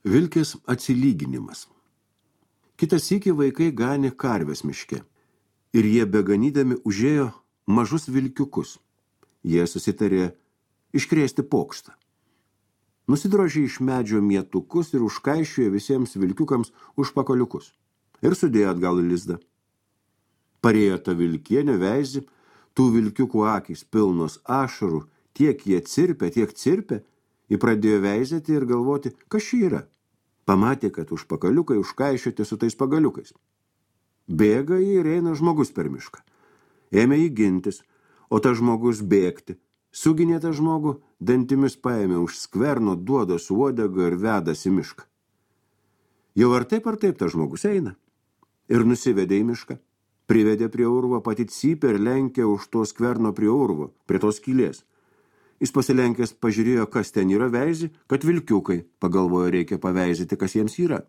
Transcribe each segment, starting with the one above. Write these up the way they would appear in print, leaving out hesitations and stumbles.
Vilkės atsilyginimas. Kitą sykį vaikai ganė karves miške ir jie beganydami užėjo mažus vilkiukus. Jie susitarė iškrėsti pokštą. Nusidrožė iš medžio mietukus ir užkaišiojo visiems vilkiukams užpakaliukus ir sudėjo atgal į lizdą. Parėjo ta vilkienė veizį, tų vilkiukų akys pilnos ašarų, tiek jie cirpė, ji pradėjo veizėti ir galvoti, kas čia yra. Pamatė, kad užpakaliukai užkaišioti su tais pagaliukais. Bėga jį ir eina žmogus per mišką. Ėmė jį gintis, o tas žmogus bėgti. Suginė tą žmogų, dantimis paėmė už skverno, duoda su uodega ir vedas į mišką. Jau ar taip tas žmogus eina. Ir nusivedė į mišką. Privedė prie urvo, pati cypė ir lenkė už to skverno prie urvo, prie tos skylės. Jis pasilenkęs pažiūrėjo, kas ten yra veizį, kad vilkiukai, pagalvojo, reikia paveizyti, kas jiems yra.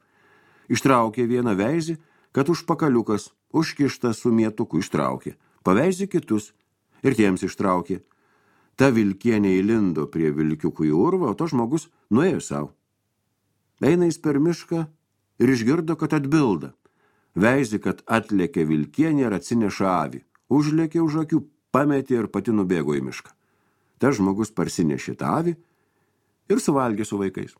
Ištraukė vieną veizį, kad užpakaliukas, užkištas su mietuku ištraukė. Paveizė kitus ir tiems ištraukė. Ta vilkienė įlindo prie vilkiukų į urvą, o to žmogus nuėjo savo. Eina jis per mišką ir išgirdo, kad atbilda. Veizį, kad atlėkė vilkienė ir atsineša avį. Užlėkė už akių, pametė ir pati nubėgo į mišką. Tas žmogus parsinešė tą avį ir suvalgė su vaikais.